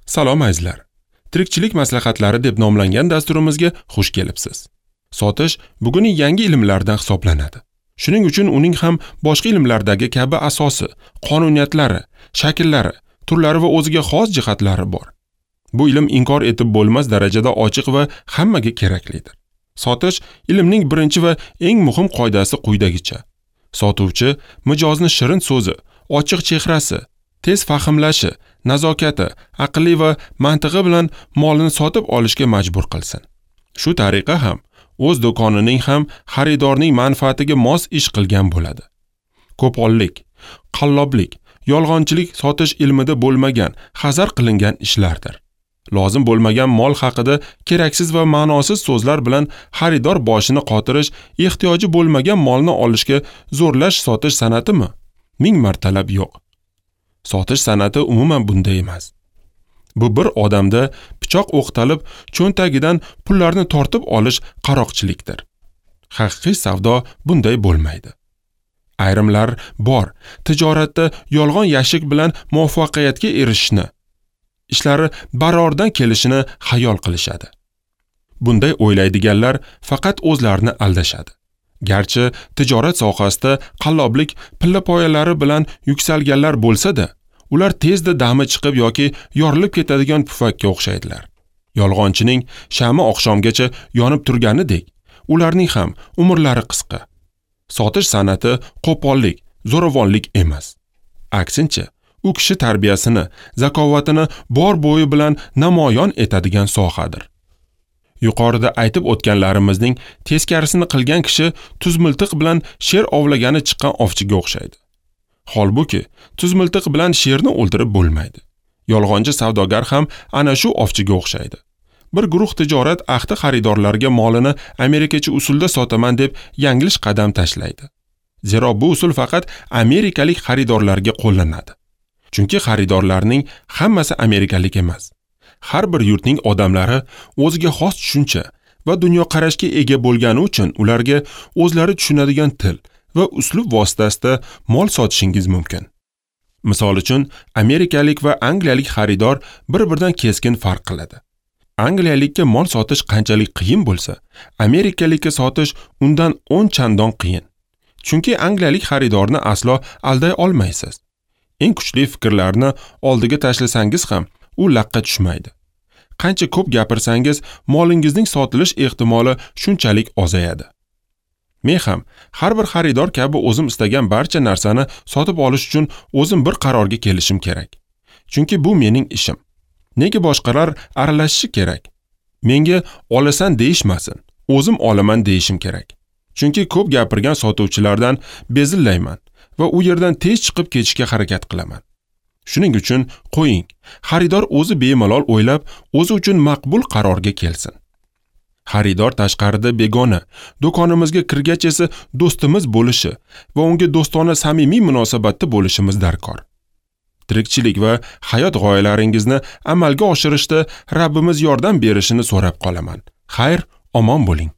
Salom azizlar. Tirikchilik maslahatlari deb nomlangan dasturimizga xush kelibsiz. Sotish bugungi yangi ilmlardan hisoblanadi. Shuning uchun uning ham boshqa ilmlardagi kabi asosi, qonuniyatlari, shakllari, turlari va o'ziga xos jihatlari bor. Bu ilm inkor etib bo'lmas darajada ochiq va hammaga keraklidir. Sotish ilmning birinchi va eng muhim qoidasi quyidagicha. Sotuvchi mijozni shirin so'zi, ochiq chehrasi, tez fahmlashi, nazokati, aqli va mantig'i bilan molini sotib olishga majbur qilsin. Shu tariqa ham o'z do'konining ham xaridorning manfaatiga mos ish qilgan bo'ladi. Qo'pollik, qalloblik, yolg'onchilik sotish ilmida bo'lmagan, hazar qilingan ishlardir. Lozim bo'lmagan mol haqida keraksiz va ma'nosiz so'zlar bilan xaridor boshini qotirish, ehtiyoji bo'lmagan molni olishga zo'rlash sotish san'atimi? Ming martalab yo'q. Sotish san'ati umuman bunday emas. Bu bir odamda pichoq o'qtalib, cho'ntagidan pullarni tortib olish qaroqchilikdir. Haqiqiy savdo bunday bo'lmaydi. Ayrimlar bor, tijoratda yolg'on yashik bilan muvaffaqiyatga erishishni, ishlari barordan kelishini xayol qilishadi. Bunday o'ylaydiganlar faqat o'zlarini aldashadi. Garchi tijorat sohasida qalloblik pilla poyalari bilan yuksalganlar bo'lsa-da, ular tezda dami chiqib yoki yorilib ketadigan pufakka o'xshaydilar. Yolg'onchining shami oqshomgacha yonib turganidek, ularning ham umrlari qisqa. Sotish san'ati qo'pollik, zo'ravonlik emas. Aksincha, u kishi tarbiyasini, zakovatini bor bo'yi bilan namoyon etadigan sohadir. Yuqorida aytib o'tganlarimizning teskarisini qilgan kishi tuzmiltiq bilan sher ovlagani chiqqan ovchiga o'xshaydi. Holbuki, tuzmiltiq bilan sherni o'ldirib bo'lmaydi. Yolg'onchi savdogar ham ana shu ovchiga o'xshaydi. Bir guruh tijorat ahdi xaridorlarga molini amerikacha usulda sotaman deb yanglish qadam tashlaydi. Zero bu usul faqat amerikalik xaridorlarga qo'llanadi. Chunki xaridorlarning hammasi amerikalik emas. Har bir yurtning odamlari o'ziga xos tushuncha va dunyoqarashga ega bo'lgani uchun ularga o'zlari tushunadigan til va uslub vositasida mol sotishingiz mumkin. Misol uchun, amerikalik va angliyalik xaridor bir-biridan keskin farq qiladi. Angliyalikka mol sotish qanchalik qiyin bo'lsa, amerikalikka sotish undan 10 chandon qiyin. Chunki angliyalik xaridorni aslo alday olmaysiz. Eng kuchli fikrlarni oldiga tashlasangiz ham u laqqa tushmaydi. Qancha ko'p gapirsangiz, molingizning sotilish ehtimoli shunchalik ozayadi. Men ham har bir xaridor kabi o'zim istagan barcha narsani sotib olish uchun o'zim bir qarorga kelishim kerak. Chunki bu mening ishim. Nega boshqalar aralashishi kerak? Menga olasan deyishmasin, o'zim olaman deyishim kerak. Chunki ko'p gapirgan sotuvchilardan bezillayman va u yerdan tez chiqib ketishga harakat qilaman. Shuning uchun qo'ying, xaridor o'zi bemalol o'ylab, o'zi uchun maqbul qarorga kelsin. Xaridor tashqarida begona, do'konimizga kirgach esa do'stimiz bo'lishi va unga do'stona samimiy munosabatda bo'lishimiz darkor. Tirikchilik va hayot g'oyalaringizni amalga oshirishda Rabbimiz yordam berishini so'rab qolaman. Xayr, omon bo'ling.